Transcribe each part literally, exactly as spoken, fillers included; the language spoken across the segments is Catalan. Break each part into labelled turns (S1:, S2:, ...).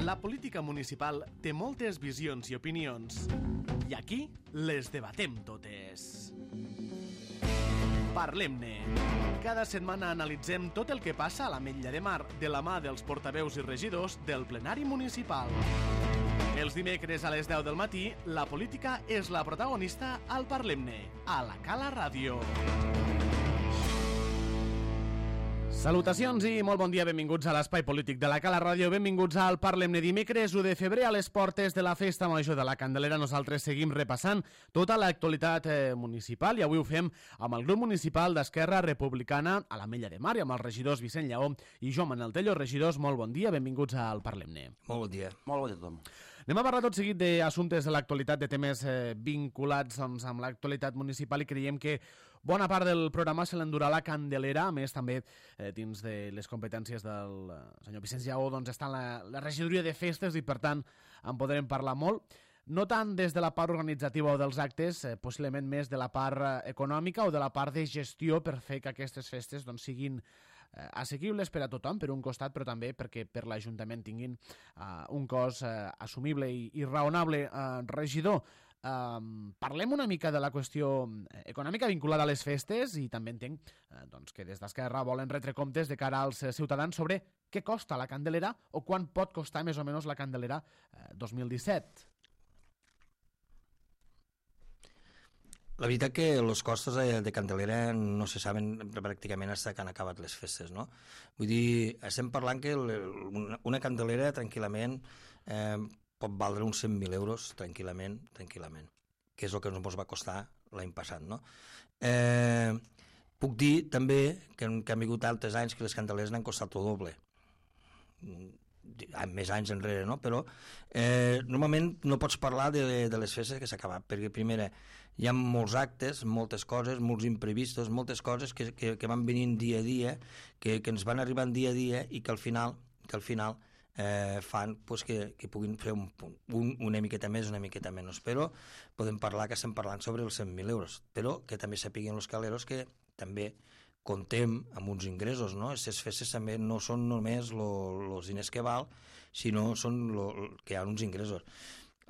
S1: La política municipal té moltes visions i opinions, i aquí les debatem totes. Parlem-ne. Cada setmana analitzem tot el que passa a l'Ametlla de Mar de la mà dels portaveus i regidors del plenari municipal. Els dimecres a les deu del matí, la política és la protagonista al Parlem-ne, a la Cala Ràdio. Salutacions i molt bon dia, benvinguts a l'Espai Polític de la Cala Ràdio, benvinguts al Parlem-ne. Dimecres u de febrer, a les portes de la Festa Major de la Candelera, nosaltres seguim repassant tota l'actualitat eh, municipal i avui ho fem amb el grup municipal d'Esquerra Republicana a l'Ametlla de Mar i amb els regidors Vicent Lleó i Joan Manel Tello. Regidors, molt bon dia, benvinguts al Parlem-ne.
S2: Molt bon dia. Molt bon dia a tothom.
S1: Anem a parlar tot seguit d'assumptes de l'actualitat, de temes eh, vinculats doncs, amb l'actualitat municipal i creiem que bona part del programa se l'endurà la Candelera, a més també eh, dins de les competències del eh, senyor Vicenç Lleó doncs, està la, la regidoria de festes i per tant en podrem parlar molt. No tant des de la part organitzativa o dels actes, eh, possiblement més de la part eh, econòmica o de la part de gestió per fer que aquestes festes doncs, siguin eh, assequibles per a tothom, per un costat, però també perquè per l'Ajuntament tinguin eh, un cost eh, assumible i, i raonable. Eh, regidor, Um, parlem una mica de la qüestió econòmica vinculada a les festes i també entenc eh, doncs, que des d'Esquerra volen retre comptes de cara als ciutadans sobre què costa la Candelera o quan pot costar més o menys la Candelera eh, dos mil disset.
S2: La veritat que els costos de, de Candelera no se saben pràcticament fins que han acabat les festes, no? Vull dir, estem parlant que una, una Candelera tranquil·lament eh, pot valdre uns cent mil euros tranquil·lament, tranquil·lament, que és el que ens va costar l'any passat, no? Eh, puc dir també que, que han vingut altres anys que les Candeleres n'han costat el doble, més anys enrere, no? Però eh, normalment no pots parlar de, de les festes que s'ha acabat, perquè primera hi ha molts actes, moltes coses, molts imprevistos, moltes coses que, que, que van venint dia a dia, que, que ens van arribant dia a dia i que al final, que al final Eh, fan pues, que, que puguin fer un, un, una miqueta més, una miqueta menys, però podem parlar que estem parlant sobre els cent mil euros, però que també sapiguin els caleros que també contem amb uns ingressos, no? Aquestes festes també no són només els diners que val, sinó són lo, que hi ha uns ingressos.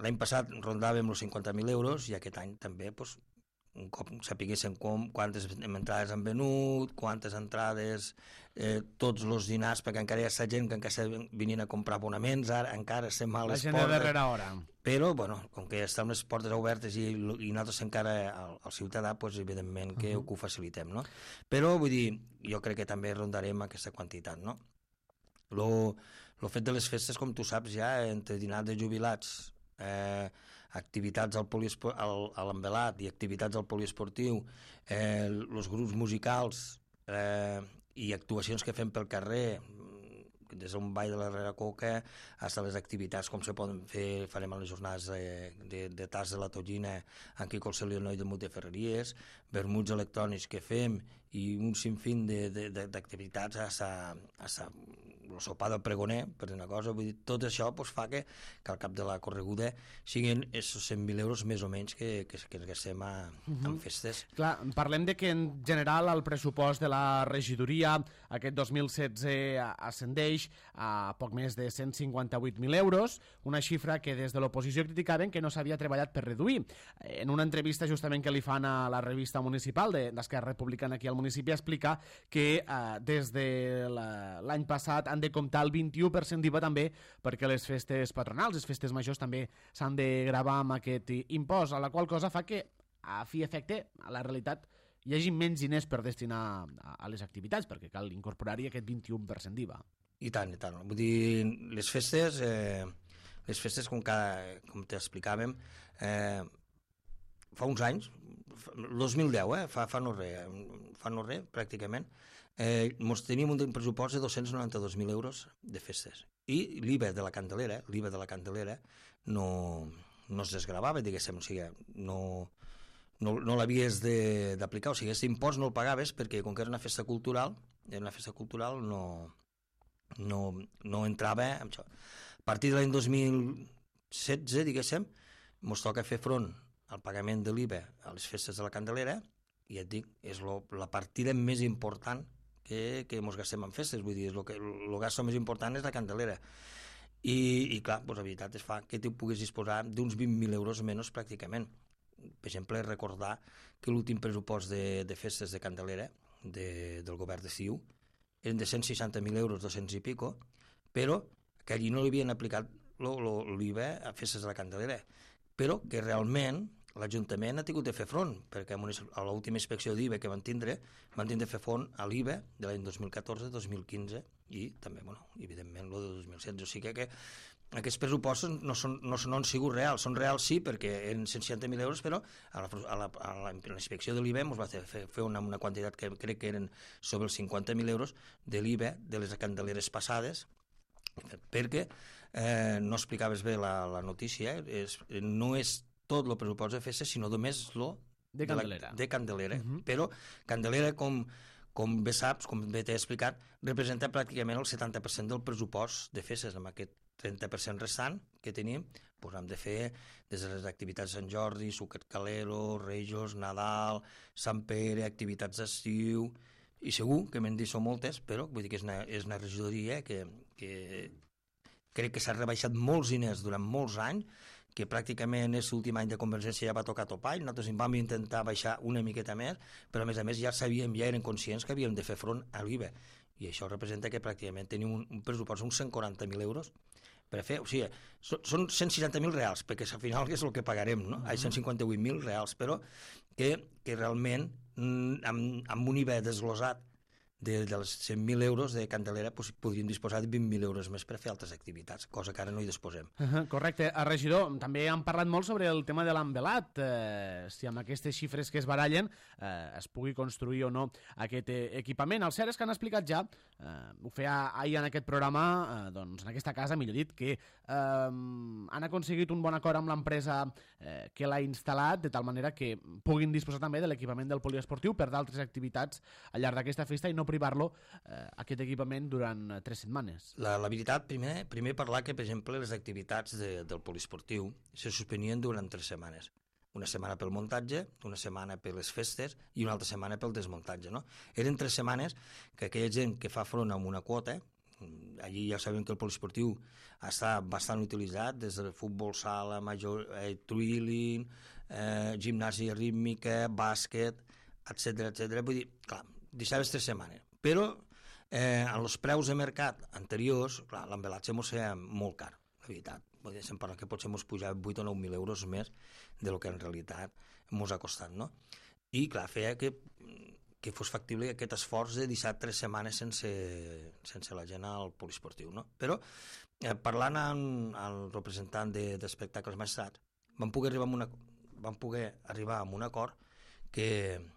S2: L'any passat rondàvem els cinquanta mil euros i aquest any també pues, un cop sapiguéssim com, quantes entrades han venut, quantes entrades, eh, tots els dinars, perquè encara hi ha gent que encara està venint a comprar abonaments, ara encara estem a les portes.
S1: La gent de darrera hora.
S2: Però, bueno, com que estan les portes obertes i, i nosaltres encara al, al ciutadà, doncs, evidentment que, uh -huh. que ho facilitem, no? Però, vull dir, jo crec que també rondarem aquesta quantitat, no? Lo, lo fet de les festes, com tu saps, ja, entre dinars de jubilats, Eh, activitats al poliesport, al, a l'envelat i activitats al poliesportiu, eh, els grups musicals eh, i actuacions que fem pel carrer, des d'un ball de la Reracoca fins a les activitats com se poden fer, farem a les jornades de, de, de tas de la Tonyina en Quico el Celionoi de Mut de Ferreries, vermuts electrònics que fem i un sinfín d'activitats a el sopar del pregoner, per una cosa, vull dir, tot això pues, fa que, que al cap de la correguda siguin aquests cent mil euros més o menys que, que, que gastem a, uh -huh. en festes.
S1: Clar, parlem de que en general el pressupost de la regidoria aquest dos mil setze ascendeix a poc més de cent cinquanta-vuit mil euros, una xifra que des de l'oposició criticaven que no s'havia treballat per reduir. En una entrevista justament que li fan a la revista municipal d'Esquerra Republicana aquí al municipi explica que eh, des de l'any passat han de comptar el vint-i-u per cent d'I V A també perquè les festes patronals, les festes majors també s'han de gravar amb aquest impost, a la qual cosa fa que a fi efecte, a la realitat hi hagi menys diners per destinar a, a les activitats perquè cal incorporar-hi aquest vint-i-u per cent d'I V A.
S2: I tant, i tant. Vull dir, les festes, eh, les festes com, cada, com t'explicàvem, eh, fa uns anys, el dos mil deu, eh, fa, fa no res, fa no res, pràcticament, eh, mos teníem un pressupost de dos-cents noranta-dos mil euros de festes. I l'I V A de la Candelera, l'I V A de la Candelera no, no es desgravava, diguéssim, o sigui, no, no, no l'havies d'aplicar, o sigui, aquest impost no el pagaves perquè com que era una festa cultural, era una festa cultural no... No, no entrava amb això. A partir de l'any dos mil setze, diguéssim, ens toca fer front al pagament de l'I V A a les festes de la Candelera i et dic, és lo, la partida més important que, que ens gastem en festes, vull dir, el, que, el gasto més important és la Candelera. I, i clar, doncs, la veritat es fa que tu puguis disposar d'uns vint mil euros menys pràcticament. Per exemple, recordar que l'últim pressupost de, de festes de Candelera de, del govern de Ciu eren de cent seixanta mil euros, dos-cents i pico, però que allí no li havien aplicat l'I V A a festes de la Candelera, però que realment l'Ajuntament ha tingut de fer front, perquè a l'última inspecció d'I V A que van tindre, van tindre de fer front a l'I V A de l'any dos mil catorze dos mil quinze i també, bueno, evidentment, el de dos mil setze. O sigui que aquests pressupostos no, són, no, són, no han sigut reals. Són reals, sí, perquè eren cent seixanta mil euros, però a la, a la, a la, a la inspecció de l'I V A ens va fer, fer una, una quantitat que crec que eren sobre els cinquanta mil euros de l'I V A de les candeleres passades, perquè eh, no explicaves bé la, la notícia, eh? és, no és tot el pressupost de festes, sinó només lo
S1: de Candelera.
S2: De, la, de Candelera.
S1: Uh -huh.
S2: Però Candelera, com, com bé saps, com bé t'he explicat, representa pràcticament el setanta per cent del pressupost de festes. Amb aquest trenta per cent restant que tenim, doncs hem de fer des de les activitats de Sant Jordi, Sucret Calero, Rejos, Nadal, Sant Pere, activitats d'estiu, i segur que me'n dit són moltes, però vull dir que és una, és una regidoria que, que crec que s'ha rebaixat molts diners durant molts anys, que pràcticament és l'últim any de Convergència ja va tocar topall. Nosaltres vam intentar baixar una miqueta més, però a més a més ja sabíem, ja eren conscients que havíem de fer front a l'I V A, i això representa que pràcticament tenim un, un pressupost d'uns cent quaranta mil euros per fer, o sigui, són cent seixanta mil reals, perquè al final és el que pagarem, no? Uh-huh. cent cinquanta-vuit mil reals, però que, que realment amb, amb un I V A desglosat de, dels cent mil euros de Candelera doncs, podríem disposar de vint mil euros més per fer altres activitats, cosa que ara no hi disposem.
S1: Uh -huh, correcte. A regidor, també hem parlat molt sobre el tema de l'envelat, eh, si amb aquestes xifres que es barallen eh, es pugui construir o no aquest eh, equipament. El cert és que han explicat ja, eh, ho feia ahir en aquest programa, eh, doncs en aquesta casa, millor dit, que eh, han aconseguit un bon acord amb l'empresa eh, que l'ha instal·lat, de tal manera que puguin disposar també de l'equipament del poliesportiu per d'altres activitats al llarg d'aquesta festa i no privar-lo eh, aquest equipament durant eh, tres setmanes.
S2: La, la veritat, primer, primer parlar que, per exemple, les activitats de, del poliesportiu se suspenien durant tres setmanes. Una setmana pel muntatge, una setmana per les festes i una altra setmana pel desmuntatge. No? Eren tres setmanes que aquella gent que fa front a una quota, allí ja sabem que el poliesportiu està bastant utilitzat, des del futbol sala, major, eh, twilling, eh, gimnàsia rítmica, bàsquet, etcètera, etcètera. Vull dir, clar, deixaves tres setmanes. Però eh, en els preus de mercat anteriors, clar, l'embelatge mos feia molt car, la veritat. Vull dir, se'm parla que potser mos pujava vuit o nou mil euros més de lo que en realitat mos ha costat, no? I, clar, feia que, que fos factible aquest esforç de deixar tres setmanes sense, sense la gent al poliesportiu, no? Però, eh, parlant amb el representant d'Espectacles Maestrat, vam poder arribar a una, vam poder arribar a un acord que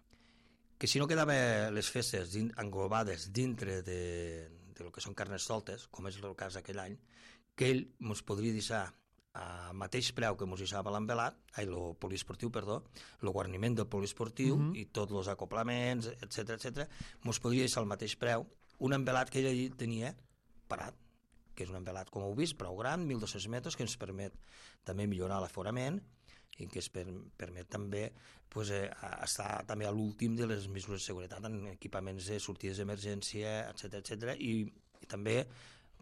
S2: que si no quedaven les festes din, englobades dintre de, de lo que són carnes soltes, com és el cas aquell any, que ell ens podria deixar a mateix preu que ens deixava l'envelat, ai, el poliesportiu, perdó, el guarniment del poliesportiu uh -huh. i tots els acoplaments, etcètera, etcètera, ens podria deixar al mateix preu un envelat que ell tenia parat, que és un envelat, com heu vist, prou gran, mil dos-cents metres, que ens permet també millorar l'aforament i que es per, permet també pues, eh, estar també a l'últim de les mesures de seguretat en equipaments de sortides d'emergència, etcètera, etcètera. I, i també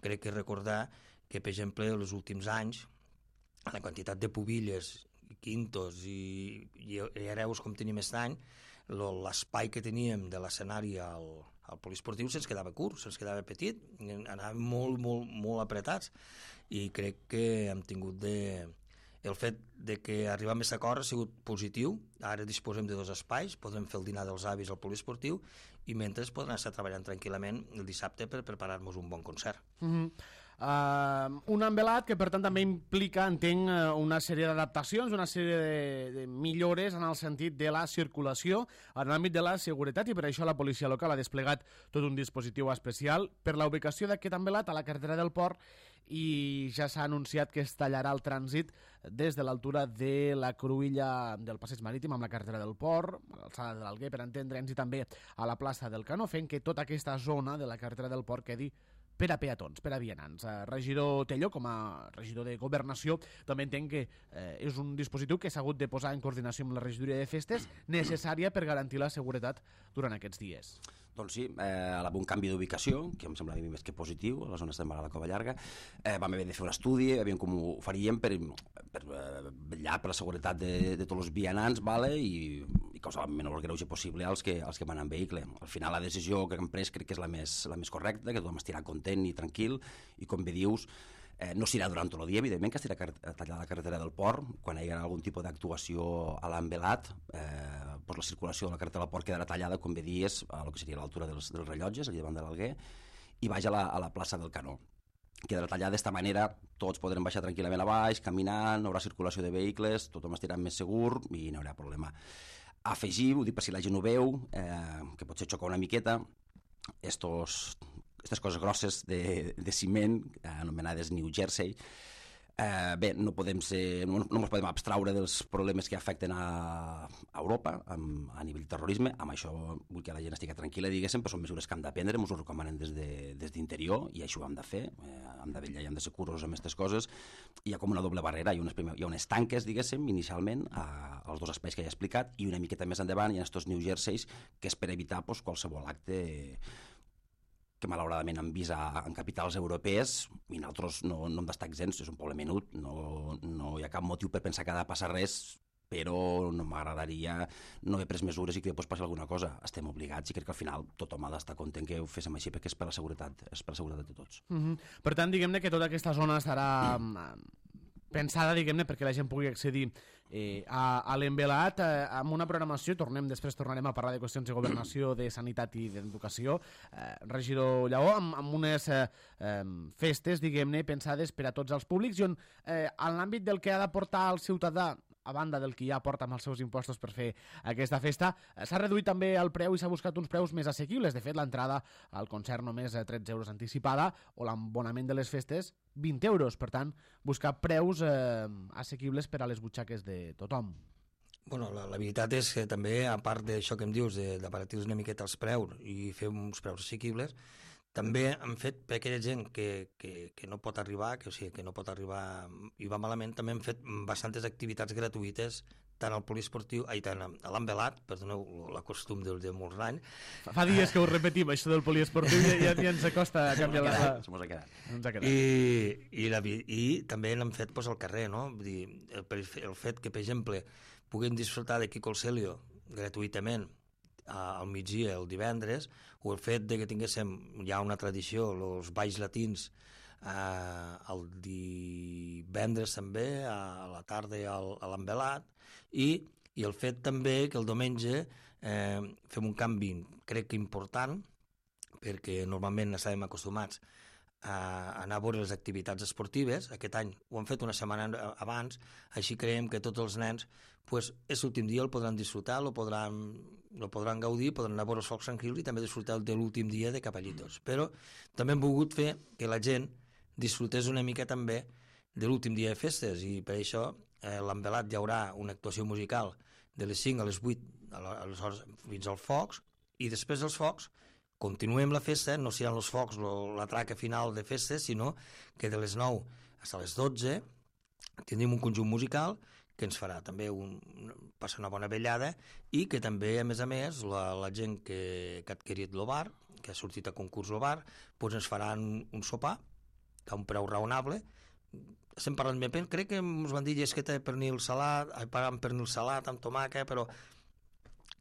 S2: crec que recordar que, per exemple, en els últims anys, la quantitat de pubilles, quintos i, i, i hereus com tenim aquest any, l'espai que teníem de l'escenari al, al poliesportiu se'ns quedava curt, se'ns quedava petit, anàvem molt, molt, molt apretats, i crec que hem tingut de... El fet de que arribar a aquest acord ha sigut positiu. Ara disposem de dos espais, podrem fer el dinar dels avis al poliesportiu i mentre podrem estar treballant tranquil·lament el dissabte per preparar-nos un bon concert.
S1: Mm-hmm. Uh, un envelat que per tant també implica, entenc, una sèrie d'adaptacions, una sèrie de, de millores en el sentit de la circulació en l'àmbit de la seguretat, i per això la policia local ha desplegat tot un dispositiu especial per la ubicació d'aquest envelat a la carretera del Port, i ja s'ha anunciat que es tallarà el trànsit des de l'altura de la cruïlla del passeig marítim amb la carretera del Port, a l'alçada de l'Alguer, per entendre'ns, i també a la plaça del Canó, fent que tota aquesta zona de la carretera del Port quedi per a peatons, per a vianants. Eh, regidor Tello, com a regidor de Governació, també entenc que eh, és un dispositiu que s'ha hagut de posar en coordinació amb la regidoria de festes, necessària per garantir la seguretat durant aquests dies.
S3: Doncs sí, eh, un canvi d'ubicació, que em sembla a mi més que positiu, a la zona de la Cova Llarga. Eh, vam haver de fer un estudi, aviam com ho faríem per, per eh, vetllar per la seguretat de, de tots els vianants, vale? I, i causar el menor greuge possible als que, als que van en vehicle. Al final la decisió que hem pres crec que és la més, la més correcta, que tothom estirà content i tranquil, i com bé dius, Eh, no s'irà durant tot el dia, evidentment que estirà tallada la carretera del port, quan hi ha algun tipus d'actuació a l'envelat, eh, doncs la circulació de la carretera del port quedarà tallada, com bé dies, a lo que seria l'altura dels, dels rellotges, allà davant de l'Alguer, i baix a la, a la plaça del Canó. Quedarà tallada d'esta manera, tots podrem baixar tranquil·lament a baix, caminant, no haurà circulació de vehicles, tothom estirà més segur i no hi haurà problema. Afegir, ho dic per si la gent ho veu, eh, que potser xoca una miqueta, estos... aquestes coses grosses de, de ciment, anomenades New Jersey, eh, bé, no podem ser, no, no ens podem abstraure dels problemes que afecten a, a Europa amb, a nivell de terrorisme. Amb això vull que la gent estigui tranquil·la, diguéssim, però són mesures que hem de prendre, ens ho recomanen des d'interior, de, i això ho hem de fer, eh, hem de vetllar i hem de ser curosos amb aquestes coses. Hi ha com una doble barrera, hi ha unes, primer, hi ha unes tanques, diguéssim, inicialment, a, als dos espais que ja he explicat, i una miqueta més endavant hi ha aquests New Jerseys, que és per evitar pues, qualsevol acte que malauradament hem vist a, en capitals europees, i nosaltres no, no hem d'estar exempts, és un poble menut, no, no hi ha cap motiu per pensar que ha de passar res, però no m'agradaria no haver pres mesures i que després passi alguna cosa. Estem obligats i crec que al final tothom ha d'estar content que ho féssim així perquè és per la seguretat, és per la seguretat de tots.
S1: Mm-hmm. Per tant, diguem-ne que tota aquesta zona estarà pensada, diguem-ne, perquè la gent pugui accedir eh, a, a l'envelat eh, amb una programació, tornem, després tornarem a parlar de qüestions de governació, de sanitat i d'educació, eh, regidor Lleó, amb, amb unes eh, eh, festes, diguem-ne, pensades per a tots els públics, i on eh, en l'àmbit del que ha de portar el ciutadà, a banda del que ja porta amb els seus impostos per fer aquesta festa, s'ha reduït també el preu i s'ha buscat uns preus més assequibles. De fet, l'entrada al concert només a tretze euros anticipada, o l'abonament de les festes vint euros. Per tant, buscar preus eh, assequibles per a les butxaques de tothom.
S2: Bueno, la, la veritat és que també, a part d'això que em dius, d'aparatir una miqueta els preus i fer uns preus assequibles, també han fet per aquella gent que, que, que no pot arribar, que, o sigui, que no pot arribar i va malament, també han fet bastantes activitats gratuïtes, tant al poliesportiu, ai, tant a l'envelat, perdoneu la costum de, de molts anys.
S1: Fa dies que ho repetim, això del poliesportiu, i ja, ja ens acosta a canviar la...
S3: Ens ha quedat.
S1: Ens ha quedat.
S2: I, i, la, I també n'han fet pues, al carrer, no? Vull dir, el, el fet que, per exemple, puguem disfrutar de Kiko el Celio gratuïtament al migdia, el divendres, o el fet de que tinguéssim ja una tradició, els balls latins, eh, el divendres també, a la tarda a l'envelat, i, i el fet també que el diumenge eh, fem un canvi, crec que important, perquè normalment estàvem acostumats a anar a veure les activitats esportives. Aquest any ho hem fet una setmana abans, així creiem que tots els nens pues, és l'últim dia, el podran disfrutar, el podran, el podran gaudir, podran anar a veure els focs tranquils i també disfrutar de l'últim dia de Capellitos. Però també hem volgut fer que la gent disfrutés una mica també de l'últim dia de festes, i per això eh, l'envelat hi haurà una actuació musical de les cinc a les vuit aleshores, fins als focs, i després dels focs continuem la festa, no seran els focs la traca final de festes, sinó que de les nou fins a les dotze tindrem un conjunt musical que ens farà també un, passar una bona vellada, i que també, a més a més, la, la gent que, que ha adquirit el bar, que ha sortit a concurs el bar, doncs ens faran un sopar a un preu raonable. Estem parlant bé, crec que ens van dir llesqueta de pernil salat, amb pernil salat, amb tomàquet, però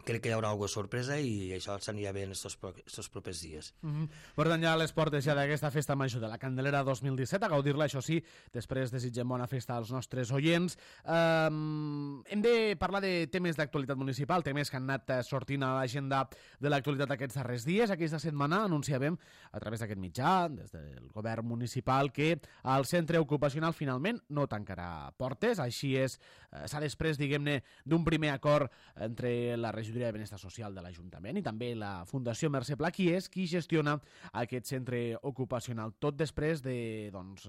S2: crec que hi haurà alguna sorpresa i això s'anirà bé en aquests propers dies.
S1: Mm-hmm. Per tant, ja a les portes ja d'aquesta festa major de la Candelera dos mil disset, a gaudir-la, això sí, després desitgem bona festa als nostres oients. Um, hem de parlar de temes d'actualitat municipal, temes que han anat sortint a l'agenda de l'actualitat aquests darrers dies. Aquesta setmana anunciàvem a través d'aquest mitjà, des del govern municipal, que el centre ocupacional finalment no tancarà portes. Així és, s'ha després, diguem-ne, d'un primer acord entre la regió de Benestar Social de l'Ajuntament i també la Fundació Mercè Pla, qui és qui gestiona aquest centre ocupacional. Tot després de doncs,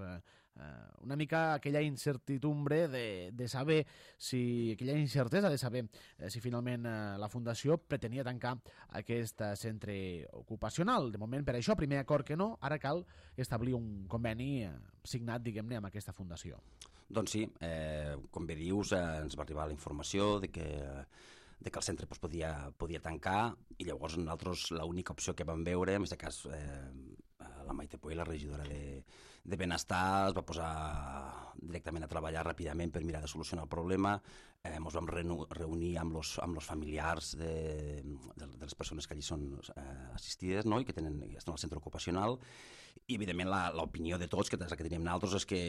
S1: eh, una mica aquella incertidumbre de, de saber si, aquella incertesa de saber eh, si finalment eh, la Fundació pretenia tancar aquest eh, centre ocupacional. De moment, per això, primer acord que no, ara cal establir un conveni eh, signat, diguem-ne, amb aquesta Fundació.
S3: Doncs sí, eh, com bé dius, eh, ens va arribar la informació de que, de que el centre pues, podia, podia tancar, i llavors nosaltres l'única opció que vam veure, en aquest cas eh, la Maite Puig, la regidora de, de Benestar, es va posar directament a treballar ràpidament per mirar de solucionar el problema. Eh, ens vam reunir amb els amb los familiars de, de, de les persones que allí són eh, assistides, no? I que tenen, estan al centre ocupacional, i evidentment l'opinió de tots, que és la que teníem nosaltres, és que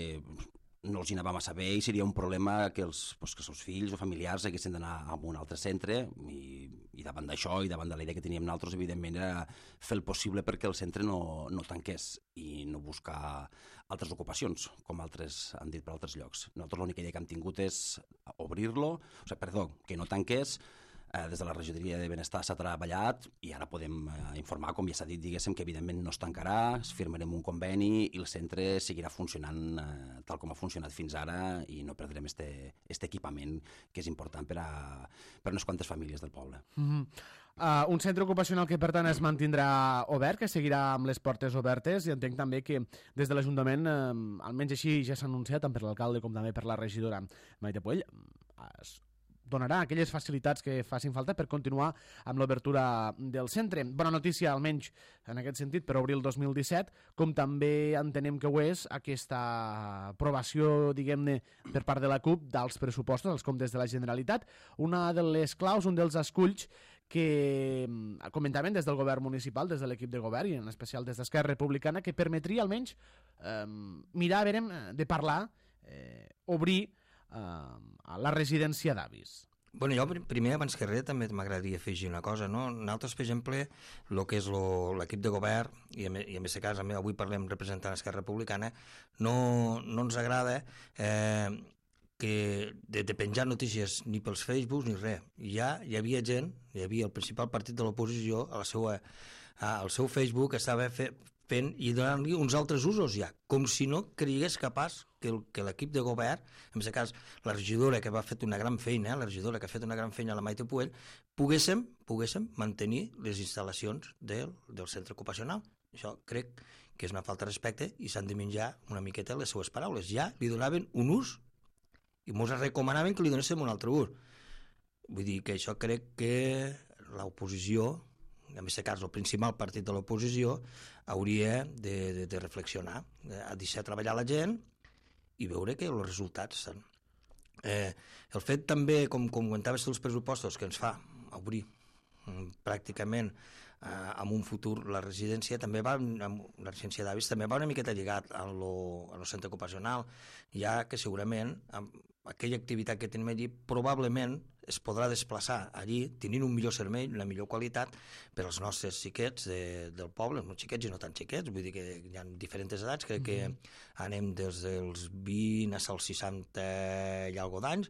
S3: no els hi anàvem a saber i seria un problema que els, pues, que els seus fills o familiars haguessin d'anar a un altre centre, i, i davant d'això i davant de la idea que teníem nosaltres, evidentment era fer el possible perquè el centre no, no tanqués i no buscar altres ocupacions, com altres han dit per altres llocs. Nosaltres l'única idea que hem tingut és obrir-lo, o sigui, perdó, que no tanqués. Eh, des de la regidoria de Benestar s'ha treballat i ara podem eh, informar, com ja s'ha dit, diguéssim, que evidentment no es tancarà, firmarem un conveni i el centre seguirà funcionant eh, tal com ha funcionat fins ara i no perdrem este, este equipament que és important per a, per a unes quantes famílies del poble.
S1: Mm-hmm. Uh, un centre ocupacional que, per tant, es mantindrà obert, que seguirà amb les portes obertes, i entenc també que des de l'Ajuntament, eh, almenys així ja s'ha anunciat, tant per l'alcalde com també per la regidora Maite Puig, es donarà aquelles facilitats que facin falta per continuar amb l'obertura del centre. Bona notícia, almenys en aquest sentit, per obrir el dos mil disset, com també entenem que ho és aquesta aprovació, diguem-ne, per part de la C U P dels pressupostos, els comptes de la Generalitat. Una de les claus, un dels esculls que comentaven des del govern municipal, des de l'equip de govern i en especial des d'Esquerra Republicana, que permetria almenys eh, mirar, a veure, de parlar, eh, obrir a la residència d'avis.
S2: Bueno, jo primer, abans que res, també m'agradaria afegir una cosa, no? Nosaltres, per exemple, el que és l'equip de govern, i en aquest cas avui parlem representant Esquerra Republicana, no, no ens agrada eh, que de, de penjar notícies ni pels Facebooks ni res. Ja hi havia gent, hi havia el principal partit de l'oposició, a la seva, al seu Facebook estava fe, fent i donant-li uns altres usos ja, com si no cregués capaç que, el, que l'equip de govern, en aquest cas la regidora que va fet una gran feina, la regidora que ha fet una gran feina a la Maite Puig, poguéssim, poguéssim mantenir les instal·lacions del, del centre ocupacional. Això crec que és una falta de respecte i s'han de menjar una miqueta les seues paraules. Ja li donaven un ús i ens recomanaven que li donéssim un altre ús. Vull dir que això crec que l'oposició, en aquest cas el principal partit de l'oposició, hauria de, de, de reflexionar, de deixar treballar la gent i veure que els resultats són. Eh, el fet també, com, com comentaves dels pressupostos, que ens fa obrir mm, pràcticament eh, en un futur la residència, també va, amb la residència d'avis també va una miqueta lligat a lo, a lo centre ocupacional, ja que segurament amb aquella activitat que tenim allí probablement es podrà desplaçar allí tenint un millor servei, una millor qualitat per als nostres xiquets de, del poble, no xiquets i no tan xiquets, vull dir que hi ha diferents edats, crec que anem des dels vint als seixanta i alguna d'anys,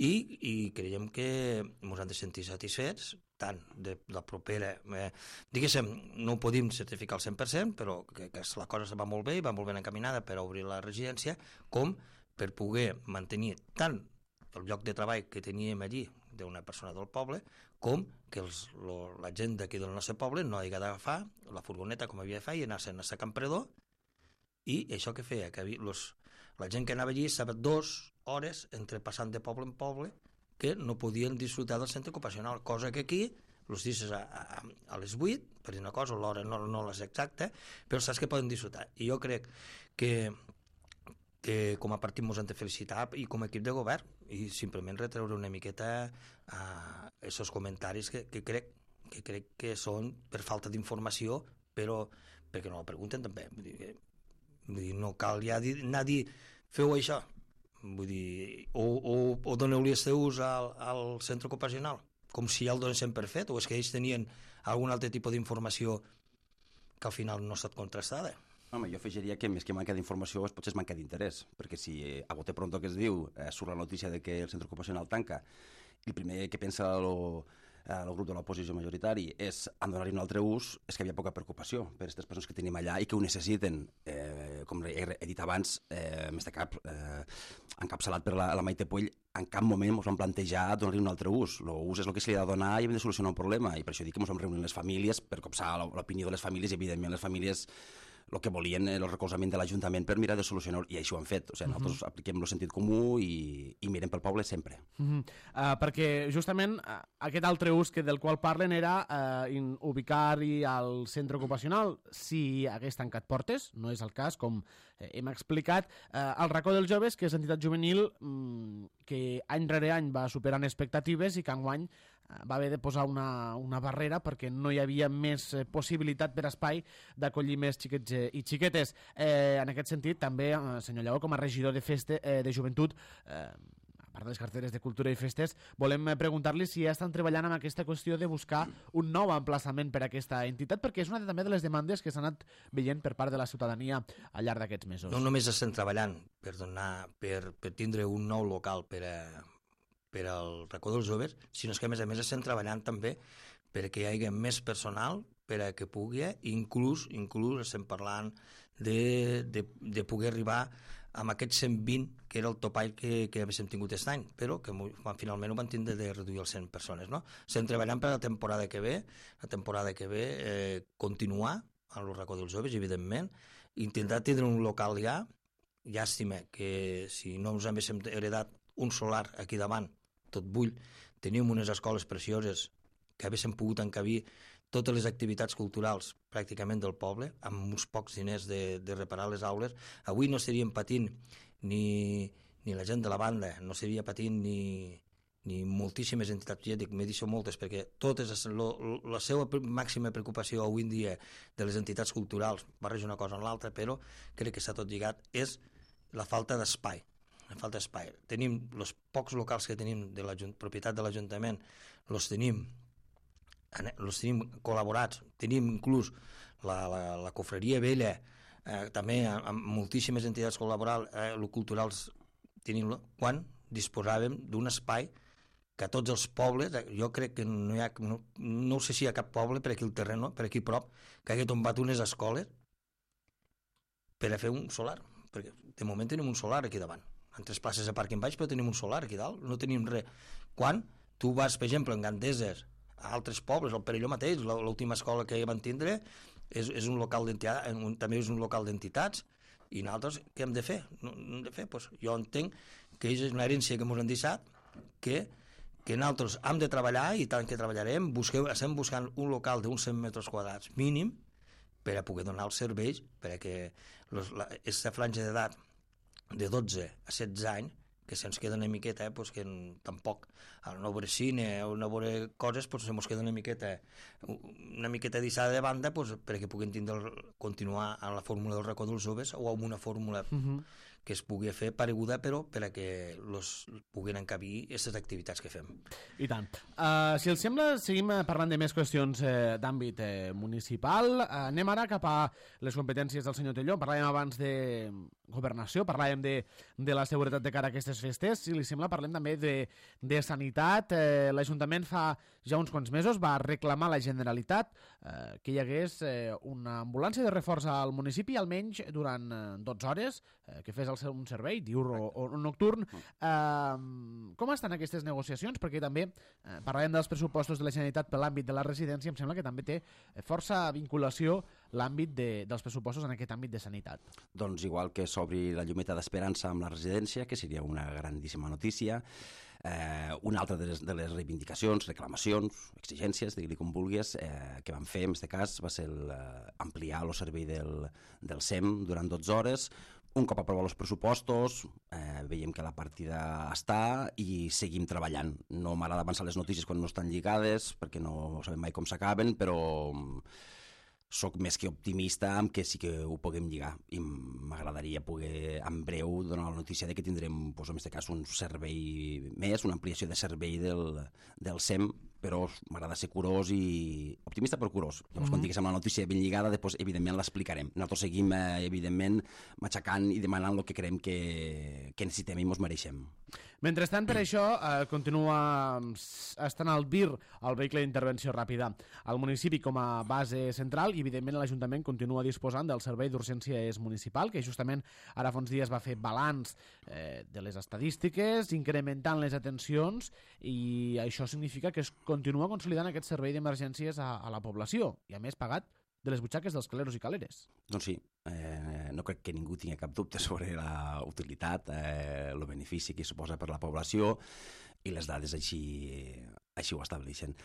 S2: i, i creiem que ens han de sentir satisfets tant de la propera, eh, diguéssim, no ho podem certificar al cent per cent, però que, que la cosa va molt bé i va molt ben encaminada per obrir la residència, com per poder mantenir tant el lloc de treball que teníem allí d'una persona del poble, com que els, lo, la gent d'aquí del nostre poble no hagi d'agafar la furgoneta com havia de fer i anar-se'n a Campredó, i això que feia, que los, la gent que anava allí estava dues hores entre passant de poble en poble que no podien disfrutar del centre ocupacional, cosa que aquí els dices a, a, a les vuit, per dir una cosa, l'hora no, no és exacta, però saps que poden disfrutar. I jo crec que que com a partit ens hem de felicitar i com a equip de govern i simplement retreure una miqueta a aquests comentaris que, que, crec, que crec que són per falta d'informació, però perquè no la pregunten també. Vull dir, vull dir no cal ja dir, anar a dir feu això, vull dir, o, o, o doneu-li els teus al, al centre ocupacional, com si ja el donessin per fet, o és que ells tenien algun altre tipus d'informació que al final no ha estat contrastada.
S3: Home, jo afegiria que més que manca d'informació potser és manca d'interès, perquè si eh, a bote pronto que es diu eh, surt la notícia de que el centre ocupacional tanca, el primer que pensa lo, el grup de l'oposició majoritari, és en donar-hi un altre ús, és que hi havia poca preocupació per aquestes persones que tenim allà i que ho necessiten. Eh, com he, he dit abans, eh, més de cap, eh, encapçalat per la, la Maite Puig, en cap moment ens vam plantejar donar-hi un altre ús. L'ús és el que se li ha de donar i hem de solucionar un problema. I per això dic que ens vam reunir les famílies per copsar l'opinió de les famílies i, evidentment, les famílies el que volien el recolzament de l'Ajuntament per mirar de solucionar, i així ho han fet. O sigui, nosaltres uh-huh. apliquem el sentit comú i, i mirem pel poble sempre.
S1: Uh-huh. uh, perquè justament uh, aquest altre ús que del qual parlen era uh, in, ubicar-hi al centre ocupacional si hagués tancat portes, no és el cas, com eh, hem explicat. Uh, el racó dels joves, que és entitat juvenil um, que any rere any va superant expectatives i que enguany va haver de posar una, una barrera perquè no hi havia més eh, possibilitat per espai d'acollir més xiquets eh, i xiquetes. Eh, en aquest sentit, també, eh, senyor Lleó, com a regidor de, feste, eh, de joventut, eh, a part de les carteres de cultura i festes, volem preguntar-li si ja estan treballant amb aquesta qüestió de buscar un nou emplaçament per a aquesta entitat, perquè és una també de les demandes que s'han anat veient per part de la ciutadania al llarg d'aquests mesos.
S2: No només estem treballant per, donar, per, per tindre un nou local per a per al racó dels joves, sinó que a més a més estem treballant també perquè hi hagi més personal per a que pugui, inclús, inclús estem parlant de, de, de poder arribar amb aquest cent vint, que era el topall que, que havíem tingut aquest any, però que finalment ho van tindre de reduir els cent persones. No? Estem treballant per la temporada que ve, la temporada que ve, eh, continuar al racó dels joves, evidentment, intentar tindre un local ja, llàstima que si no us haguéssim heredat un solar aquí davant, tot bull, teníem unes escoles precioses que haguéssim pogut encabir totes les activitats culturals pràcticament del poble, amb uns pocs diners de, de reparar les aules. Avui no estaríem patint ni, ni la gent de la banda, no estaria patint ni, ni moltíssimes entitats, ja dic, m'he dit moltes, perquè totes, lo, la seva màxima preocupació avui en dia de les entitats culturals, barreja una cosa en l'altra, però crec que està tot lligat, és la falta d'espai. La falta d'espai. Tenim els pocs locals que tenim de la propietat de l'Ajuntament, els tenim, els tenim col·laborats, tenim inclús la, la, la cofreria vella, eh, també amb moltíssimes entitats col·laborals, eh, culturals, tenim, quan disposàvem d'un espai que a tots els pobles, jo crec que no hi ha, no, no sé si hi ha cap poble per aquí al terreny, per aquí prop, que hagi tombat unes escoles per a fer un solar, perquè de moment tenim un solar aquí davant. En tres places de parc en baix, però tenim un solar aquí dalt, no tenim res. Quan tu vas, per exemple, en Gandeses, a altres pobles, el Perelló mateix, l'última escola que van tindre, és, és un local d'entitats, també és un local d'entitats, i nosaltres què hem de fer? No, no hem de fer? Pues jo entenc que és una herència que ens han deixat, que, que nosaltres hem de treballar, i tant que treballarem, busqueu, estem buscant un local d'uns cent metres quadrats mínim, per a poder donar els serveis, perquè aquesta franja d'edat de dotze a setze anys, que se'ns queda una miqueta, eh, pues que tampoc, al no veure cine o no veure coses, pues se'ns queda una miqueta una miqueta deixada de banda, pues, perquè puguin tindre, continuar a la fórmula del racó dels joves o amb una fórmula uh-huh. que es pugui fer pareguda, però per a que los puguin encabir aquestes activitats que fem.
S1: I tant. Uh, si els sembla, seguim parlant de més qüestions eh, d'àmbit eh, municipal. Uh, anem ara cap a les competències del senyor Telló. Parlàvem abans de governació, parlàvem de, de la seguretat de cara a aquestes festes. Si li sembla, parlem també de, de sanitat. Eh, L'Ajuntament fa ja uns quants mesos va reclamar a la Generalitat eh, que hi hagués eh, una ambulància de reforç al municipi, almenys durant eh, dotze hores, eh, que fes el seu, un servei diurn o, o nocturn. Eh, com estan aquestes negociacions? Perquè també eh, parlàvem dels pressupostos de la Generalitat per l'àmbit de la residència, em sembla que també té força vinculació l'àmbit de, dels pressupostos en aquest àmbit de sanitat.
S3: Doncs igual que s'obri la llumeta d'esperança amb la residència, que seria una grandíssima notícia. Eh, una altra de les, de les reivindicacions, reclamacions, exigències, digui-li com vulguis, eh, que vam fer en aquest cas va ser el, eh, ampliar el servei del, del S E M durant dotze hores. Un cop aprovar els pressupostos, eh, veiem que la partida està i seguim treballant. No m'agrada avançar les notícies quan no estan lligades, perquè no sabem mai com s'acaben, però soc més que optimista amb que sí que ho puguem lligar, i m'agradaria poder en breu donar la notícia de que tindrem, doncs, en aquest cas, un servei més, una ampliació de servei del, del S E M però m'agrada ser curós i optimista però curós. Llavors,
S1: Mhm.
S3: quan diguéssim la notícia ben lligada, després, evidentment, l'explicarem. Nosaltres seguim, eh, evidentment, matxacant i demanant el que creiem que, que necessitem i ens mereixem.
S1: Mentrestant, per això, eh, continua estant al V I R, el vehicle d'intervenció ràpida, al municipi com a base central i, evidentment, l'Ajuntament continua disposant del Servei d'Urgències Municipal, que justament ara fa uns dies va fer balanç eh, de les estadístiques, incrementant les atencions, i això significa que es continua consolidant aquest servei d'emergències a, a la població, i a més pagat de les butxaques dels caleros i caleres.
S3: Doncs sí, eh, no crec que ningú tingui cap dubte sobre la utilitat, eh, el benefici que suposa per la població, i les dades així, així ho estableixen.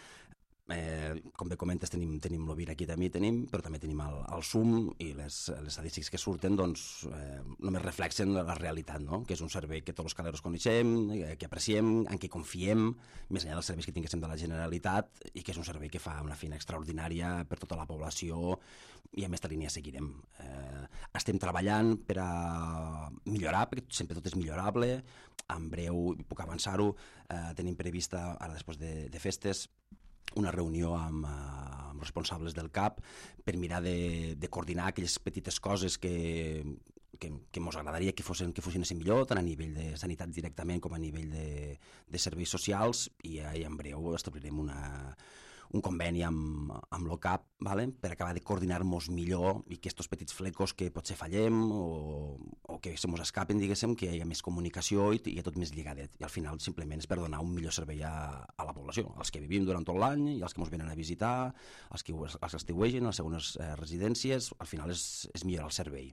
S3: Eh, com bé comentes, tenim, tenim l'O V I R aquí també tenim, però també tenim el, el S U M, i les, les estadístiques que surten doncs, eh, només reflexen la realitat, no? Que és un servei que tots els caleros coneixem, eh, que apreciem, en què confiem, més enllà dels serveis que tinguéssim de la Generalitat, i que és un servei que fa una feina extraordinària per tota la població, i en aquesta línia seguirem. Eh, estem treballant per a millorar, perquè sempre tot és millorable. En breu, puc avançar-ho, eh, tenim prevista, ara després de, de festes, una reunió amb, uh, amb responsables del C A P per mirar de, de coordinar aquelles petites coses que, que, que ens agradaria que fossin, que funcionessin millor, tant a nivell de sanitat directament com a nivell de, de serveis socials, i, uh, i en breu establirem una, un conveni amb, amb l'O C A P, vale? Per acabar de coordinar-nos millor i que aquests petits flecos que potser fallem o, o que se mos escapen, diguéssim, que hi ha més comunicació i, i tot més lligadet. I al final simplement és per donar un millor servei a, a la població, als que vivim durant tot l'any i als que ens venen a visitar, als que, als que estiuegen, a les segones eh, residències. Al final és, és millorar el servei.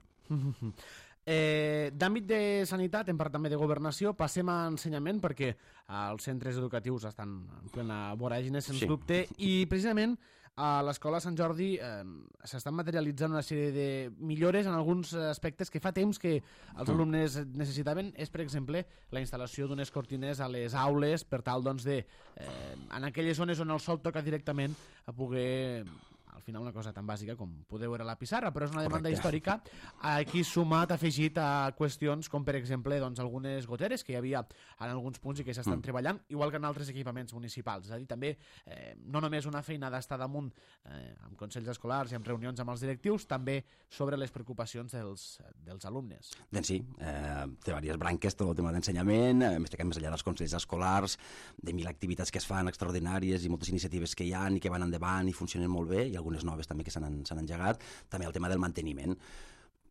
S1: Eh, D'àmbit de sanitat, en part també de governació, passem a ensenyament, perquè els centres educatius estan en plena voràgine, sens
S3: Sí.
S1: dubte, i precisament a l'Escola Sant Jordi eh, s'estan materialitzant una sèrie de millores en alguns aspectes que fa temps que els
S3: Mm.
S1: alumnes necessitaven. És, per exemple, la instal·lació d'unes cortines a les aules per tal, doncs, de, eh, en aquelles zones on el sol toca directament, a poder... Al final una cosa tan bàsica com poder veure la pissarra, però és una demanda
S3: Correcte.
S1: històrica, aquí sumat, afegit a qüestions com, per exemple, doncs, algunes goteres que hi havia en alguns punts i que s'estan
S3: Mm.
S1: treballant, igual que en altres equipaments municipals. És a dir, també eh, no només una feina d'estar damunt eh, amb consells escolars i amb reunions amb els directius, també sobre les preocupacions dels, dels alumnes.
S3: Doncs sí, eh, té diverses branques, tot el tema d'ensenyament, eh, més que més enllà dels consells escolars, de mil activitats que es fan extraordinàries i moltes iniciatives que hi ha i que van endavant i funcionen molt bé, i algunes noves també que s'han s'han engegat, també el tema del manteniment.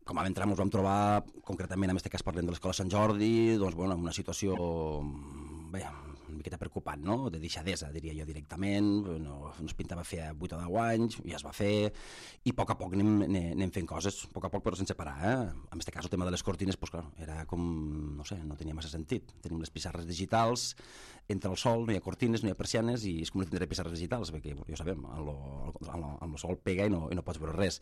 S3: Com vam entrar, ens vam trobar, concretament en aquest cas parlem de l'Escola Sant Jordi, doncs, bueno, en una situació bé, una miqueta preocupant, no? De deixadesa, diria jo directament, no, no es pintava fer vuit o deu anys, ja es va fer, i a poc a poc anem, anem, anem fent coses, a poc a poc però sense parar, eh? En aquest cas el tema de les cortines, pues, clar, era com, no sé, no tenia massa sentit. Tenim les pissarres digitals, entra el sol, no hi ha cortines, no hi ha persianes, i és com tindré pissarres digitals, perquè ja ho sabem, amb el sol pega i no, i no pots veure res.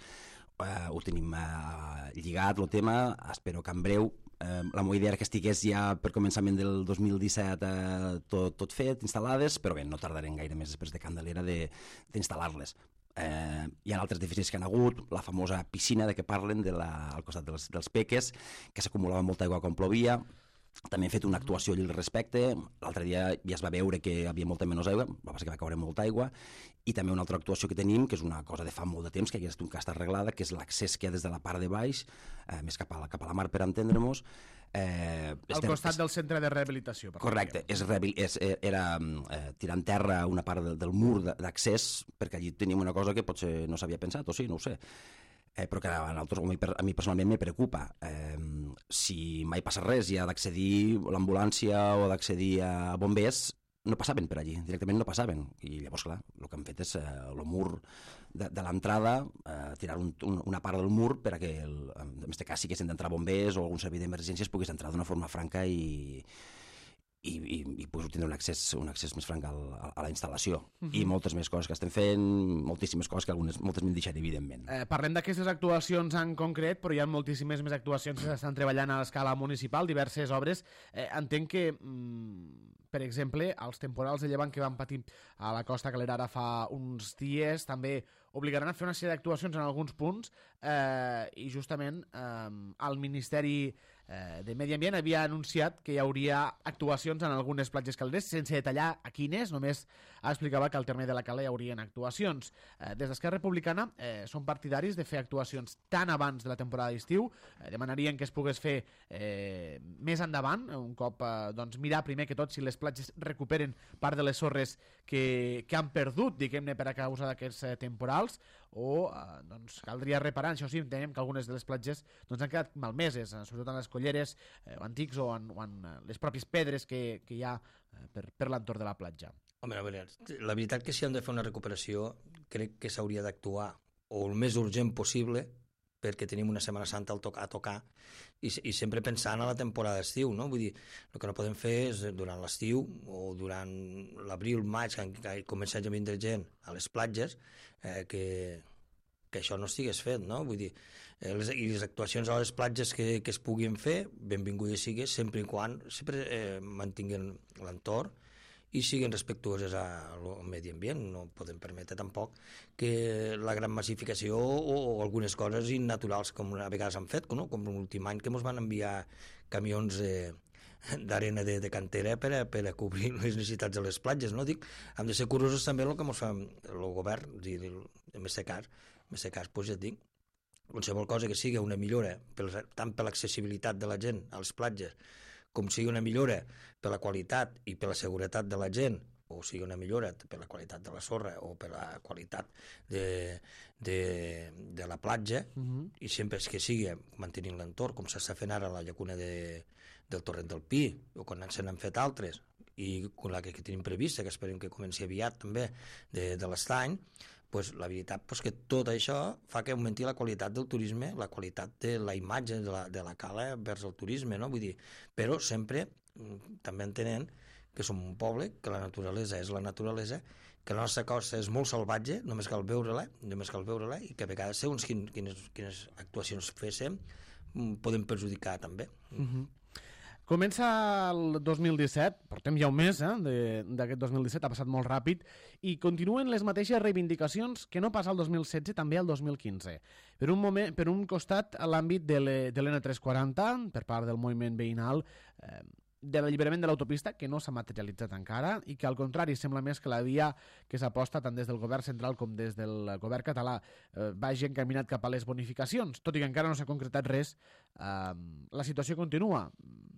S3: Uh, ho tenim uh, lligat, el tema, espero que en breu Uh, la meva idea era que estigués ja per començament del dos mil disset uh, tot, tot fet, instal·lades, però bé, no tardarem gaire més després de Candelera d'instal·lar-les. Uh, hi ha altres deficits que han hagut, la famosa piscina de què parlen de la, al costat dels, dels peques, que s'acumulava molta aigua quan plovia. També hem fet una actuació al respecte. L'altre dia ja es va veure que hi havia molta menys aigua, va passar que va caure molta aigua, i també una altra actuació que tenim, que és una cosa de fa molt de temps, que ja està arreglada, que és l'accés que hi ha des de la part de baix, eh, més cap a, la, cap a la mar, per entendre-nos. Eh,
S1: Al
S3: estem,
S1: costat del centre de rehabilitació. Per
S3: correcte, és, és, era eh, tirar en terra una part del, del mur d'accés, perquè allí tenim una cosa que potser no s'havia pensat, o sí, no ho sé. Eh, però que a, nosaltres, a mi personalment me preocupa. Eh, si mai passa res i ha d'accedir l'ambulància o d'accedir a bombers, no passaven per allí, directament no passaven. I llavors, clar, el que han fet és eh, el mur de, de l'entrada, eh, tirar un, un, una part del mur per a que, el, en aquest cas, si haguessin d'entrar bombers o algun servei d'emergències, pogués entrar d'una forma franca i, i, i, i poder tindre un accés, un accés més franc al, a, a la instal·lació. Uh-huh. I moltes més coses que estem fent, moltíssimes coses que algunes, moltes m'han deixat, evidentment.
S1: Eh, parlem d'aquestes actuacions en concret, però hi ha moltíssimes més actuacions que s'estan treballant a l'escala municipal, diverses obres. Eh, entenc que, mm, per exemple, els temporals de llevant que van patir a la Costa Calera ara fa uns dies també obligaran a fer una sèrie d'actuacions en alguns punts, eh, i justament eh, el Ministeri eh, de Medi Ambient havia anunciat que hi hauria actuacions en algunes platges caleres, sense detallar a quines, només explicava que al terme de la Cala hi haurien actuacions. Eh, des d'Esquerra Republicana eh, són partidaris de fer actuacions tan abans de la temporada d'estiu, eh, demanarien que es pogués fer eh, més endavant, un cop eh, doncs, mirar primer que tot si les platges recuperen part de les sorres que, que han perdut, diguem-ne, per a causa d'aquests eh, temporals, o eh, doncs, caldria reparar. Això sí, entenem que algunes de les platges doncs, han quedat malmeses, eh, sobretot en les colleres eh, antics o en, o en eh, les pròpies pedres que, que hi ha eh, per, per l'entorn de la platja.
S2: Home, a veure, la veritat que si hem de fer una recuperació crec que s'hauria d'actuar o el més urgent possible, perquè tenim una Setmana Santa al to a tocar i, i sempre pensant a la temporada d'estiu, no? Vull dir, el que no podem fer és durant l'estiu o durant l'abril, maig, que, que comença a vindre gent a les platges, eh, que, que això no estigués fet, no? Vull dir, eh, les, i les actuacions a les platges que, que es puguin fer, benvingudes sigues, sempre i quan sempre eh, mantinguen l'entorn i siguin respectuoses al medi ambient. No podem permetre tampoc que la gran massificació o, o algunes coses innaturals com a vegades han fet, no? Com l'últim any que ens van enviar camions eh, d'arena de, de cantera per a, per a cobrir les necessitats de les platges, no? Dic, hem de ser curosos també el que ens fa el govern, és a dir, en aquest cas, en aquest cas, doncs ja et dic, qualsevol cosa que sigui una millora, per, tant per l'accessibilitat de la gent a les platges, com sigui una millora per la qualitat i per la seguretat de la gent, o sigui una millora per la qualitat de la sorra o per la qualitat de, de, de la platja, uh-huh. I sempre és que sigui mantenint l'entorn, com s'està fent ara a la llacuna de, del Torrent del Pi, o quan se n'han fet altres, i con la que, que tenim prevista, que esperem que comenci aviat també, de, de l'estany, pues, la veritat pues, que tot això fa que augmenti la qualitat del turisme, la qualitat de la imatge de la, de la cala vers el turisme, no? Vull dir, però sempre també entenent que som un poble, que la naturalesa és la naturalesa, que la nostra costa és molt salvatge, només cal veure-la, només cal veure-la, i que a vegades segons quines, quines, quines actuacions féssim podem perjudicar també.
S1: Uh-huh. Comença el dos mil disset, portem ja un mes eh, d'aquest dos mil disset, ha passat molt ràpid, i continuen les mateixes reivindicacions que no passa el dos mil setze, també el dos mil quinze. Per un, moment, per un costat, a l'àmbit de l'N tres quaranta, per part del moviment veïnal, eh, de l'alliberament de l'autopista, que no s'ha materialitzat encara, i que al contrari sembla més que la via que s'aposta tant des del govern central com des del govern català eh, vagi encaminat cap a les bonificacions, tot i que encara no s'ha concretat res. Eh, la situació continua.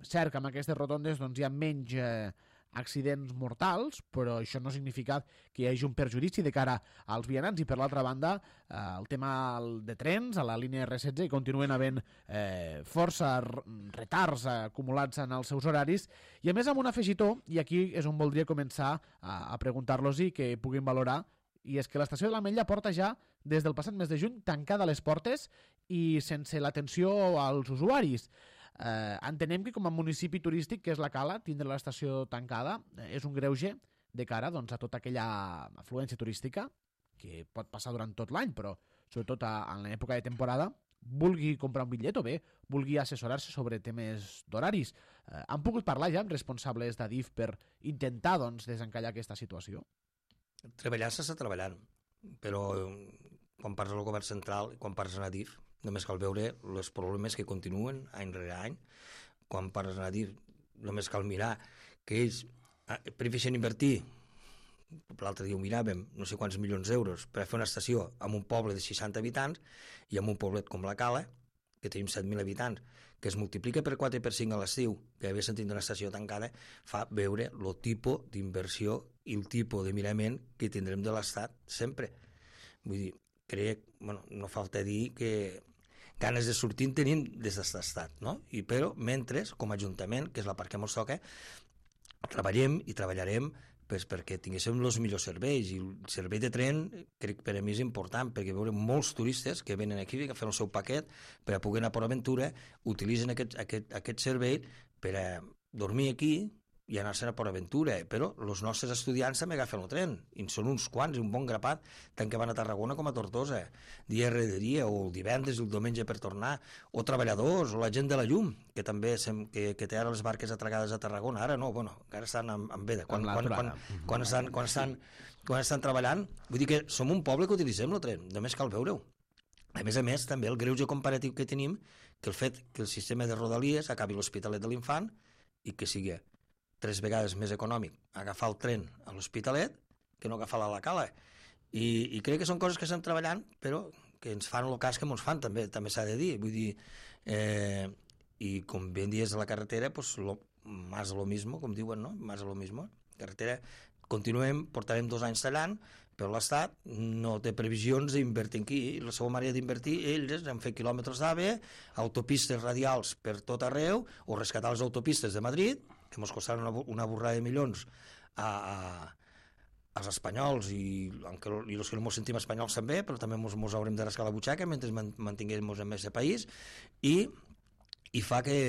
S1: Cert que amb aquestes rotondes doncs, hi ha menys eh, accidents mortals, però això no significa que hi hagi un perjudici de cara als vianants, i per l'altra banda eh, el tema de trens a la línia erre setze continuen havent eh, força retards acumulats en els seus horaris, i a més amb un afegitó, i aquí és on voldria començar a, a preguntar-los i que puguin valorar, i és que l'estació de l'Ametlla porta ja des del passat mes de juny tancada les portes i sense l'atenció als usuaris. Eh, entenem que com a municipi turístic que és la Cala, tindre l'estació tancada eh, és un greuge de cara doncs, a tota aquella afluència turística que pot passar durant tot l'any, però sobretot a, en l'època de temporada, vulgui comprar un bitllet o bé vulgui assessorar-se sobre temes d'horaris. Eh, han pogut parlar ja amb responsables d'Adif per intentar doncs, desencallar aquesta situació?
S2: Treballar s'està treballant, però quan parles del govern central i quan parles en Adif només cal veure els problemes que continuen any rere any. Quan parles en Adif només cal mirar que ells prefereixen invertir, l'altre dia ho miràvem, no sé quants milions d'euros per a fer una estació en un poble de seixanta habitants i en un poblet com la Cala, que tenim set mil habitants, que es multiplica per quatre i per cinc a l'estiu, que haver sentit una estació tancada, fa veure el tipus d'inversió i el tipus de mirament que tindrem de l'Estat sempre. Vull dir, crec, bueno, no falta dir que ganes de sortir en tenim des d'aquest estat, no? I però, mentre, com a Ajuntament, que és la part que ens toca, treballem i treballarem pues, perquè tinguéssim els millors serveis, i el servei de tren crec que per a mi és important, perquè veurem molts turistes que venen aquí, que fan el seu paquet per a poder anar a Port Aventura, utilitzen aquest, aquest, aquest servei per a dormir aquí i anar-se'n a Port Aventura, però els nostres estudiants també agafen el tren, i són uns quants, un bon grapat, tant que van a Tarragona com a Tortosa, dia rere dia, o el divendres i el diumenge per tornar, o treballadors, o la gent de la llum, que també sem, que, que té ara les barques atracades a Tarragona, ara no, bueno, ara estan en, en veda, quan, quan, quan, quan, estan, quan, estan, quan estan treballant, vull dir que som un poble que utilitzem el tren, només cal veure-ho. A més a més, també el greuge comparatiu que tenim, que el fet que el sistema de Rodalies acabi l'Hospitalet de l'Infant i que sigui tres vegades més econòmic agafar el tren a l'Hospitalet que no agafar-la a la Cala. I, I crec que són coses que estem treballant, però que ens fan el cas que ens fan, també també s'ha de dir. Vull dir, eh, i com ben dies de la carretera, pues, lo, más de lo mismo, com diuen, no? Más de lo mismo. Carretera, continuem, portarem dos anys tallant, però l'Estat no té previsions d'invertir aquí. La seva manera d'invertir, ells han fet quilòmetres d'AVE, autopistes radials per tot arreu, o rescatar les autopistes de Madrid, que ens costaran una, una borrada de milions a, a, als espanyols i, i els que no ens sentim espanyols també, però també ens haurem de rascar la butxaca mentre mantinguem en aquest país, i, i fa que,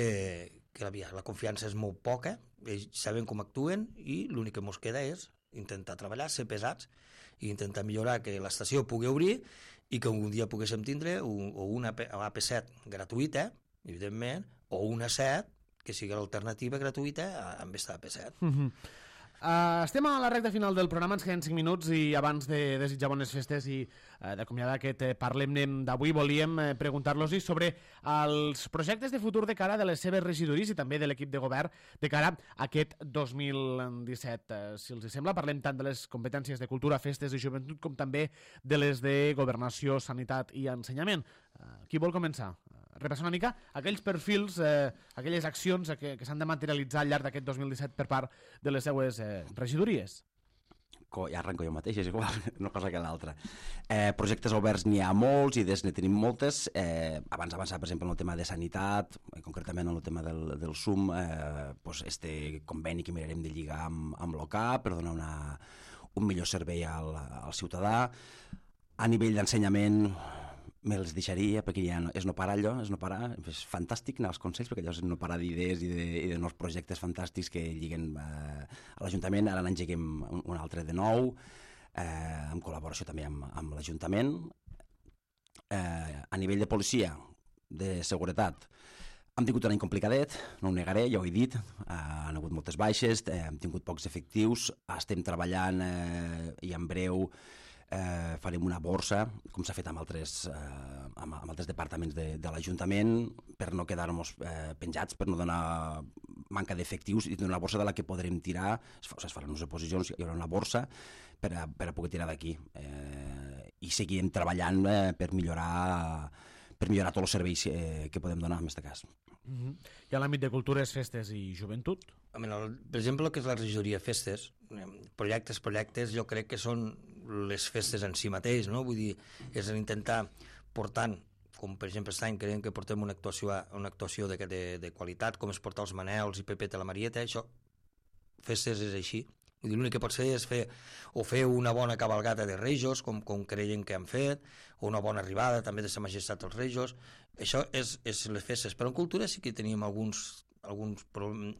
S2: que la, la confiança és molt poca, ells saben com actuen i l'únic que ens queda és intentar treballar, ser pesats i intentar millorar que l'estació pugui obrir i que un dia poguéssim tindre un, o una A P set gratuïta, evidentment, o una set que sigui l'alternativa gratuïta amb aquesta A P set.
S1: Mm-hmm. Uh, estem a la recta final del programa, ens queden cinc minuts i abans de desitjar bones festes i uh, d'acomiadar aquest eh, Parlem-ne d'avui, volíem eh, preguntar-los sobre els projectes de futur de cara de les seves regidories i també de l'equip de govern de cara a aquest dos mil disset. Uh, si els sembla, parlem tant de les competències de cultura, festes i joventut com també de les de governació, sanitat i ensenyament. Uh, qui vol començar? Repassar una mica aquells perfils, eh, aquelles accions que, que s'han de materialitzar al llarg d'aquest dos mil disset per part de les seues eh, regidories.
S3: Ja arrenco jo mateix, és igual, una cosa que l'altra. Eh, projectes oberts n'hi ha molts, idees ne tenim moltes. Eh, abans d'avançar, per exemple, en el tema de sanitat, concretament en el tema del, del S U M, eh, pues este conveni que mirarem de lligar amb, amb l'O C A per donar una, un millor servei al, al ciutadà. A nivell d'ensenyament, me'ls deixaria, perquè ja no, és no parar allò, és no parar, és fantàstic anar als consells, perquè allò és no parar d'idees i, de, i de nous projectes fantàstics que lliguen eh, a l'Ajuntament. Ara n'engeguem un, un altre de nou, eh, en col·laboració també amb, amb l'Ajuntament. Eh, a nivell de policia, de seguretat, hem tingut un any complicadet, no ho negaré, ja ho he dit, eh, han hagut moltes baixes, eh, hem tingut pocs efectius, estem treballant eh, i en breu Eh, farem una borsa, com s'ha fet amb altres, eh, amb, amb altres departaments de, de l'Ajuntament, per no quedar-nos eh, penjats, per no donar manca d'efectius, i donar una borsa de la que podrem tirar, es, es faran unes oposicions, hi haurà una borsa per a, per a poder tirar d'aquí. Eh, I seguirem treballant eh, per millorar per millorar tots els serveis eh, que podem donar en aquest cas.
S1: Mm-hmm. I a l'àmbit de cultures, festes i joventut?
S2: Per exemple, el que és la regidoria festes, projectes, projectes, jo crec que són les festes en si mateix, no? Vull dir, és intentar portant, com per exemple aquest any creiem que portem una actuació, una actuació de, de, de qualitat, com és portar els Manels i Pepeta la Marieta, això, festes és així. Vull dir, l'únic que pot fer és fer, o fer una bona cabalgata de Rejos, com, com creiem que han fet, o una bona arribada també de Sa Majestat als Rejos. Això és, és les festes. Però en cultura sí que teníem alguns, alguns,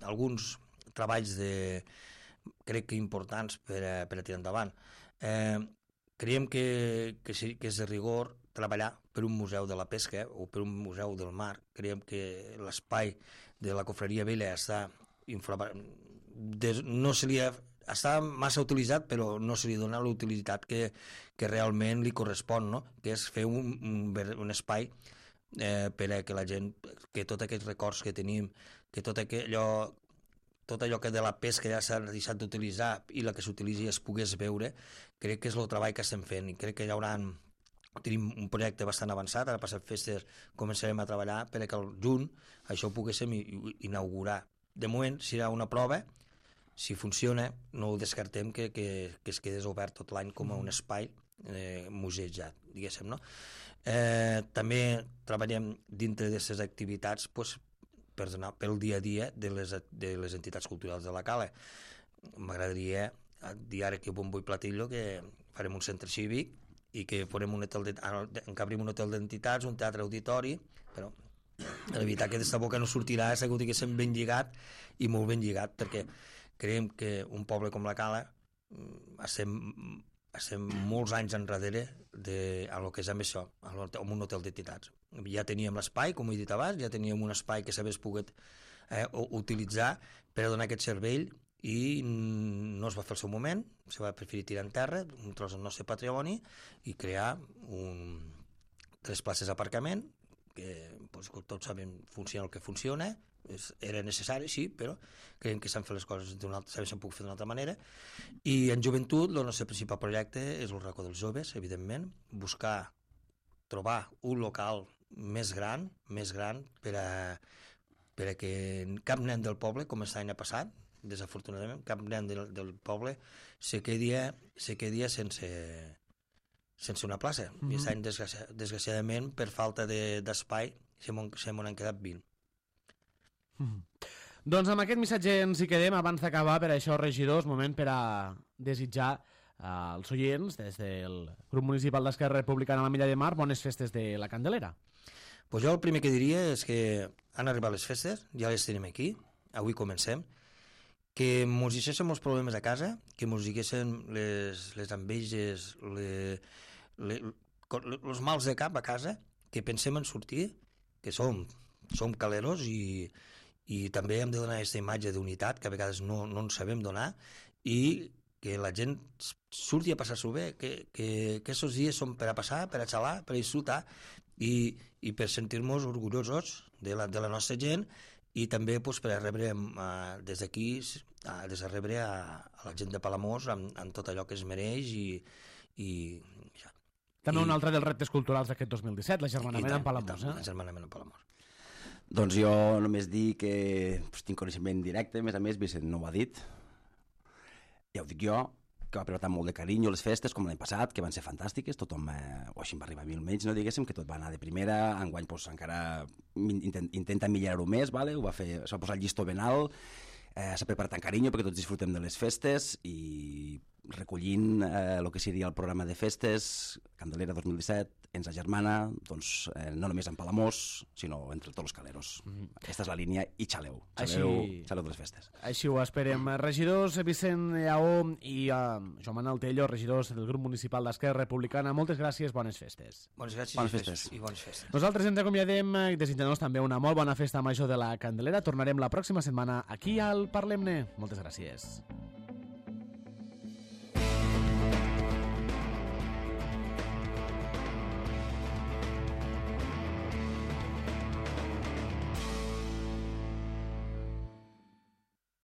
S2: alguns treballs de, crec que importants per a, per a tirar endavant. Eh, creiem que, que, sí, que és de rigor treballar per un museu de la pesca o per un museu del mar. Creiem que l'espai de la Cofreria Vella està infra... no se li ha... està massa utilitzat, però no se li dona la utilitat que, que realment li correspon, no? Que és fer un, un, un espai eh, per a que la gent, que tots aquests records que tenim, que tot allò tot allò que de la pesca ja s'ha deixat d'utilitzar i la que s'utilitzi es pogués veure, crec que és el treball que estem fent i crec que hi haurà, tenim un projecte bastant avançat, ara passat festes començarem a treballar per que al juny això ho poguéssim inaugurar. De moment serà una prova, si funciona no ho descartem que, que, que es quedés obert tot l'any com a un espai eh, museejat, diguéssim, no? Eh, també treballem dintre d'aquestes activitats pues, per anar pel dia a dia de les, de les entitats culturals de la Cala. M'agradaria dir ara que bon vull platillo que farem un centre cívic i que farem un hotel de, encabrim un hotel d'entitats, un teatre auditori, però la veritat que d'esta boca no sortirà, és que ho diguéssim ben lligat i molt ben lligat, perquè creiem que un poble com la Cala estem, estem molts anys enrere de, a lo que és amb això, amb un hotel d'entitats. Ja teníem l'espai, com he dit abans, ja teníem un espai que s'hagués pogut eh, utilitzar per a donar aquest servei i no es va fer el seu moment, se va preferir tirar en terra, un tros del nostre patrimoni i crear un, tres places d'aparcament que pues, tots sabem funciona el que funciona, és, era necessari, sí, però creiem que s'han fet les coses d'una altra, s'han pogut fer d'una altra manera. I en joventut, el nostre principal projecte és el racó dels joves, evidentment, buscar, trobar un local més gran, més gran per a, per a que cap nen del poble, com aquest any ha passat, desafortunadament, cap nen del, del poble se quedi, se quedi sense, sense una plaça. Mm-hmm. I aquest any, desgraci, desgraciadament, per falta d'espai, de, se m'ho han quedat vint.
S1: Mm. Doncs amb aquest missatge ens hi quedem. Abans d'acabar, per això, regidors, moment per a desitjar als oients des del grup municipal d'Esquerra Republicana a la Milla de Mar bones festes de la Candelera.
S2: Pues jo el primer que diria és que han arribat les festes, ja les tenim aquí, avui comencem, que mos deixéssim els problemes a casa, que mos diguéssim les, les enveges, les, les, els mals de cap a casa, que pensem en sortir, que som, som caleros i i també hem de donar aquesta imatge d'unitat que a vegades no, no ens sabem donar i que la gent surti a passar-s'ho bé, que, que, que aquests dies són per a passar, per a xalar, per a disfrutar i, i per sentir-nos orgullosos de la, de la nostra gent i també pues, per a rebre uh, des d'aquí des a rebre a, a la gent de Palamós amb, amb tot allò que es mereix i, i ja.
S1: També
S2: I,
S1: un altre dels reptes culturals d'aquest dos mil disset, l'agermanament amb Palamós. Eh?
S2: L'agermanament amb Palamós.
S3: Doncs jo només dic que pues, tinc coneixement directe, a més a més Vicent no ho ha dit, ja ho dic jo, que va preparar molt de carinyo les festes com l'any passat, que van ser fantàstiques, tothom, eh, o així va arribar a mil menys, no diguéssim, que tot va anar de primera, enguany pues, encara intent, intenta millorar-ho més, vale? Ho va fer, es va posar el llistó ben alt, eh, s'ha preparat amb carinyo perquè tots disfrutem de les festes i recollint eh, el que seria el programa de festes, Candelera dos mil disset, ens agermana, doncs, eh, no només en Palamós, sinó entre tots els caleros. Mm. Aquesta és la línia i xaleu, xaleu, Així... xaleu de les festes.
S1: Així ho esperem. Regidors Vicent Lleó i uh, Joan Manuel Tello, regidors del grup municipal d'Esquerra Republicana, moltes gràcies, bones festes.
S2: Bones gràcies
S3: bones festes.
S2: i bones festes.
S1: Nosaltres ens acomiadem i desitjant-nos també una molt bona festa major de la Candelera. Tornarem la pròxima setmana aquí al Parlem-ne. Moltes gràcies.